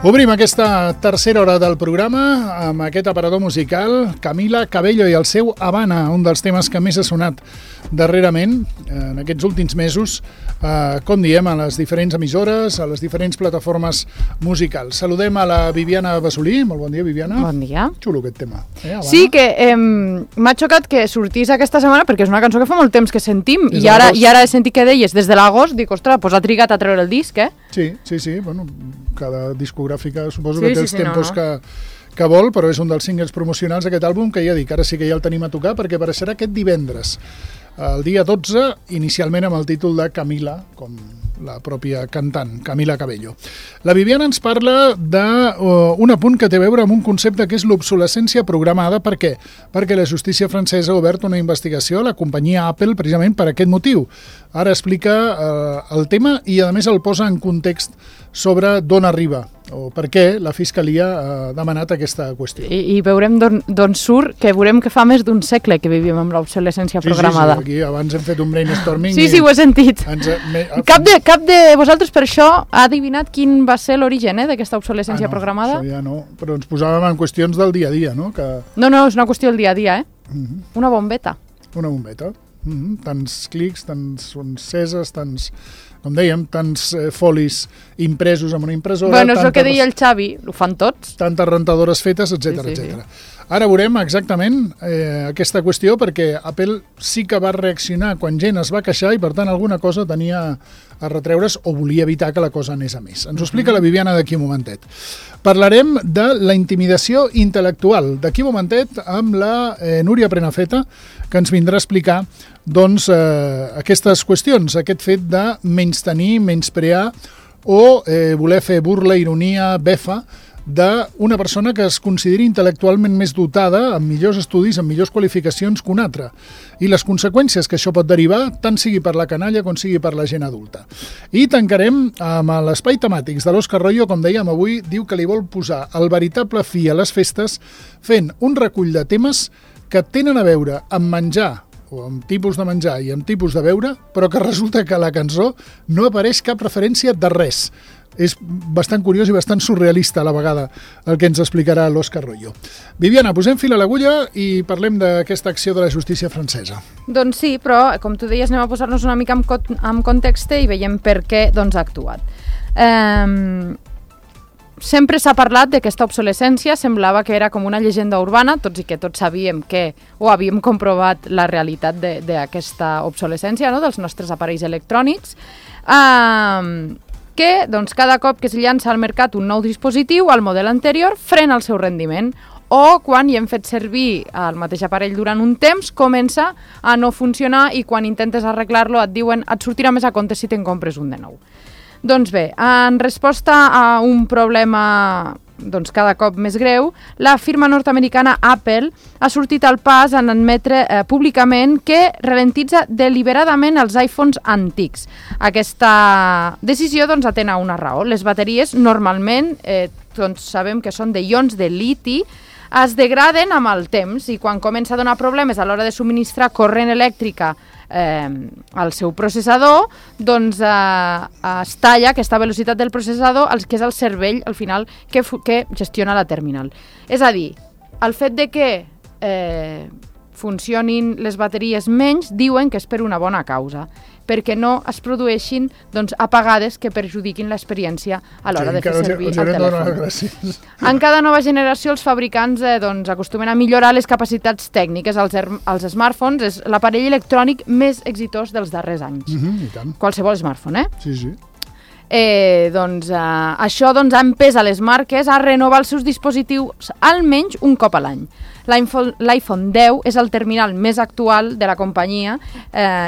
Obrim aquesta tercera hora del programa amb aquest aparador musical, Camila Cabello i el seu Habana, un dels temes que més ha sonat darrerament, en aquests últims mesos, com diem, a les diferents emissores, a les diferents plataformes musicals. Saludem a la Viviana Basolí. Molt bon dia, Viviana. Bon dia. Xulo aquest tema. Sí, que m'ha xocat que sortís aquesta setmana perquè és una cançó que fa molt temps que sentim i ara he sentit que deies des de l'agost, dic, ostres, doncs ha trigat a treure el disc, eh? Sí, bueno, cada discogràfica suposo que té els tempos que vol, però és un dels singles promocionals d'aquest àlbum que ja dic, ara sí que ja el tenim a tocar perquè apareixerà aquest divendres, el dia 12, inicialment amb el títol de Camila, com la pròpia cantant, Camila Cabello. La Viviana ens parla d'un apunt que té a veure amb un concepte que és l'obsolescència programada. Per què? Perquè la justícia francesa ha obert una investigació a la companyia Apple precisament per aquest motiu. Ara explica el tema i a més el posa en context sobre d'on arriba o per què la Fiscalia ha demanat aquesta qüestió. I veurem d'on surt, que veurem que fa més d'un segle que vivim amb l'obsolescència programada. Sí, aquí abans hem fet un brainstorming. Sí, ho he sentit. Cap de vosaltres per això ha adivinat quin va ser l'origen d'aquesta obsolescència programada? Això ja no, però ens posàvem en qüestions del dia a dia, no? No, és una qüestió del dia a dia, Una bombeta. Una bombeta. Tants clics, tants enceses, tants, com dèiem, tants folis impresos amb una impressora. Bueno, és el que deia el Xavi, ho fan tots. Tantes rentadores fetes, etc. Ara veurem exactament aquesta qüestió perquè Apple sí que va reaccionar quan gent es va queixar i per tant alguna cosa tenia a retreure's o volia evitar que la cosa anés a més. Ens ho explica la Viviana d'aquí un momentet. Parlarem de la intimidació intel·lectual d'aquí un momentet amb la Núria Prenafeta, que ens vindrà a explicar doncs, aquestes qüestions, aquest fet de menystenir, menysprear o voler fer burla, ironia, befa d'una persona que es consideri intel·lectualment més dotada, amb millors estudis, amb millors qualificacions que una altra. I les conseqüències que això pot derivar, tant sigui per la canalla com sigui per la gent adulta. I tancarem amb l'espai temàtics de l'Òscar Royo, com dèiem avui, diu que li vol posar el veritable fi a les festes fent un recull de temes que tenen a veure amb menjar, o amb tipus de menjar i amb tipus de beure, però que resulta que a la cançó no apareix cap referència de res. És bastant curiós i bastant surrealista a la vegada el que ens explicarà l'Òscar Royo. Viviana, posem fil a l'agulla i parlem d'aquesta acció de la justícia francesa. Doncs sí, però com tu deies, anem a posar-nos una mica en context i veiem per què ha actuat. Sempre s'ha parlat d'aquesta obsolescència, semblava que era com una llegenda urbana, tots i que tots sabíem que, o havíem comprovat la realitat d'aquesta obsolescència, no?, dels nostres aparells electrònics, que doncs, cada cop que es llança al mercat un nou dispositiu, el model anterior frena el seu rendiment, o quan hi hem fet servir el mateix aparell durant un temps, comença a no funcionar i quan intentes arreglar-lo et diuen et sortirà més a compte si te'n compres un de nou. Doncs bé, en resposta a un problema cada cop més greu, la firma nord-americana Apple ha sortit al pas en admetre públicament que ralentitza deliberadament els iPhones antics. Aquesta decisió atén a una raó. Les bateries normalment, sabem que són de ions de liti, es degraden amb el temps i quan comença a donar problemes a l'hora de subministrar corrent elèctrica al seu processador, doncs es talla aquesta velocitat del processador, que és el cervell al final que gestiona la terminal. És a dir, el fet de que funcionin les bateries menys diuen que és per una bona causa, perquè no es produeixin apagades que perjudiquin l'experiència a l'hora de fer servir el telèfon. En cada nova generació els fabricants acostumen a millorar les capacitats tècniques. Els smartphones és l'aparell electrònic més exitós dels darrers anys. Qualsevol smartphone, Sí. Això ha empès a les marques a renovar els seus dispositius almenys un cop a l'any. L'iPhone 10 és el terminal més actual de la companyia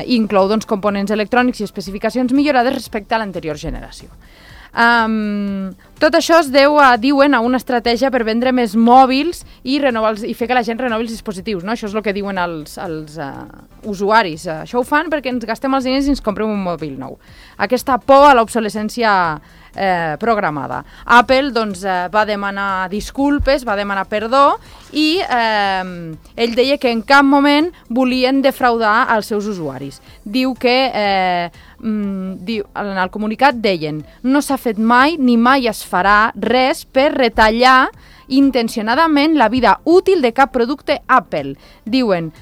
i inclou components electrònics i especificacions millorades respecte a l'anterior generació. Tot això es deu, diuen, a una estratègia per vendre més mòbils i fer que la gent renovi els dispositius, no? Això és el que diuen els usuaris. Això ho fan perquè ens gastem els diners i ens comprem un mòbil nou. Aquesta por a l'obsolescència programada. Apple va demanar disculpes, va demanar perdó i ell deia que en cap moment volien defraudar els seus usuaris. Diu que en el comunicat deien: no s'ha fet mai ni mai es farà res per retallar intencionadament la vida útil de cap producte Apple. Diuen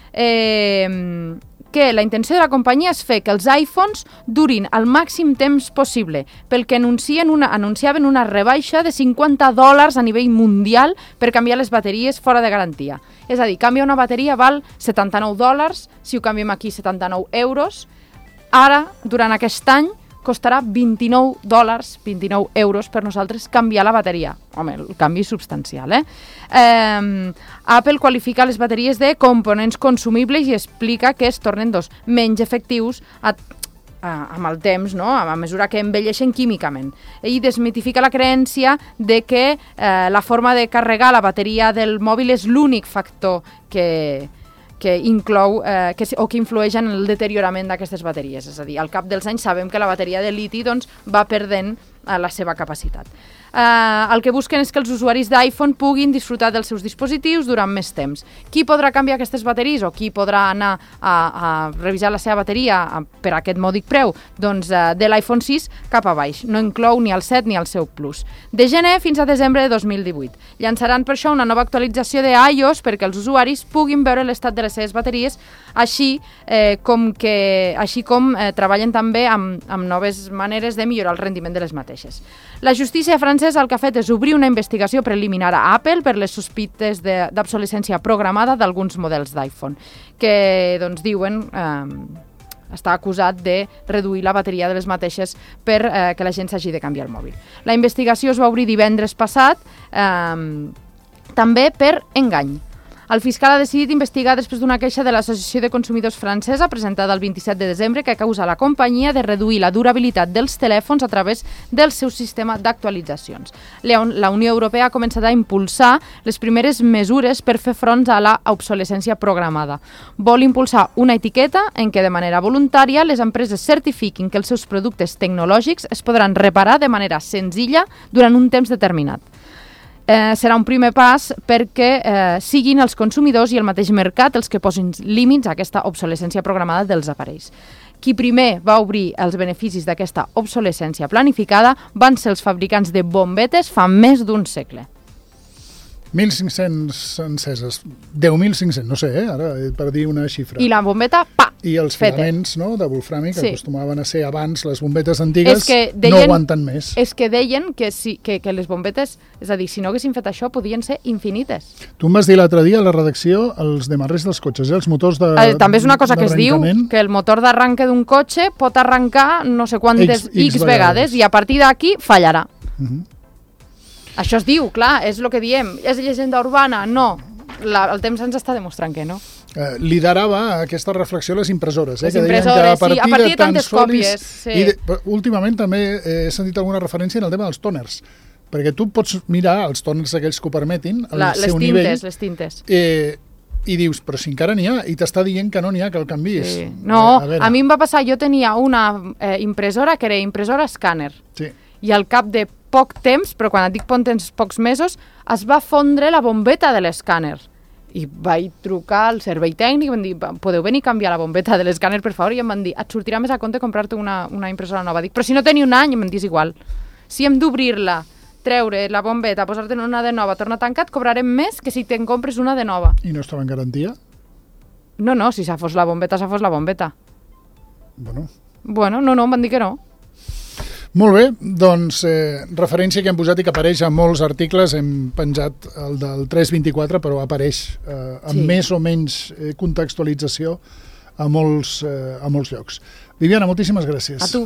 que la intenció de la companyia és fer que els iPhones durin el màxim temps possible, pel que anunciaven una rebaixa de $50 a nivell mundial per canviar les bateries fora de garantia. És a dir, canviar una bateria val $79, si ho canviem aquí €79. Ara, durant aquest any, costarà €29, €29 per nosaltres canviar la bateria. Home, el canvi és substancial, Apple qualifica les bateries de components consumibles i explica que es tornen menys efectius amb el temps, no? A mesura que envelleixen químicament. Ell desmitifica la creença de que la forma de carregar la bateria del mòbil és l'únic factor que inclou o que influeix en el deteriorament d'aquestes bateries. És a dir, al cap dels anys sabem que la bateria de liti va perdent la seva capacitat. El que busquen és que els usuaris d'iPhone puguin disfrutar dels seus dispositius durant més temps. Qui podrà canviar aquestes bateries o qui podrà anar a revisar la seva bateria per aquest mòdic preu? Doncs de l'iPhone 6 cap a baix. No inclou ni el 7 ni el seu Plus. De gener fins a desembre de 2018. Llançaran per això una nova actualització de iOS perquè els usuaris puguin veure l'estat de les seves bateries, així com treballen també amb noves maneres de millorar el rendiment de les mateixes. La justícia francesa el que ha fet és obrir una investigació preliminar a Apple per les sospites d'obsolescència programada d'alguns models d'iPhone, que diuen està acusat de reduir la bateria de les mateixes per que la gent s'hagi de canviar el mòbil. La investigació es va obrir divendres passat, també per engany. El fiscal ha decidit investigar després d'una queixa de l'Associació de Consumidors francesa presentada el 27 de desembre que acusa la companyia de reduir la durabilitat dels telèfons a través del seu sistema d'actualitzacions. La Unió Europea ha començat a impulsar les primeres mesures per fer front a la obsolescència programada. Vol impulsar una etiqueta en què de manera voluntària les empreses certifiquin que els seus productes tecnològics es podran reparar de manera senzilla durant un temps determinat. Serà un primer pas perquè siguin els consumidors i el mateix mercat els que posin límits a aquesta obsolescència programada dels aparells. Qui primer va obrir els beneficis d'aquesta obsolescència planificada van ser els fabricants de bombetes fa més d'un segle. 1.500 enceses, 10.500, no sé, ara, per dir una xifra. I la bombeta, I els filaments de wolframi, que acostumaven a ser abans les bombetes antigues, no aguanten més. És que deien que les bombetes, és a dir, si no haguessin fet això, podien ser infinites. Tu em vas dir l'altre dia a la redacció els demarrers dels cotxes, els motors d'arrencament. També és una cosa que es diu, que el motor d'arranque d'un cotxe pot arrencar no sé quantes X vegades i a partir d'aquí fallarà. Això es diu, clar, és el que diem. És llegenda urbana? No. El temps ens està demostrant que no. Liderava aquesta reflexió les impressores. Les impressores, sí, a partir de tantes còpies. Últimament també he sentit alguna referència en el tema dels tòners, perquè tu pots mirar els tòners aquells que ho permetin, al seu nivell. Les tintes. I dius, però si encara n'hi ha, i t'està dient que no n'hi ha, que el canviïs. Sí. No, a mi em va passar, jo tenia una impressora que era impressora escàner. Sí. I al cap de poc temps, però quan et dic pocs mesos, es va fondre la bombeta de l'escàner. I vaig trucar al servei tècnic i em van dir, podeu venir a canviar la bombeta de l'escàner, per favor? I em van dir, et sortirà més a compte comprar-te una impressora nova. Dic, però si no tenia un any, em van dir, és igual. Si hem d'obrir-la, treure la bombeta, posar-te'n una de nova, tornar a tancar, et cobrarem més que si te'n compres una de nova. I no estava en garantia? No, si s'ha fos la bombeta, s'ha fos la bombeta. Bueno, no, em van dir que no. Molt bé, doncs referència que hem posat i que apareix a molts articles, hem penjat el del 324, però apareix amb més o menys contextualització a molts llocs. Viviana, moltíssimes gràcies. A tu.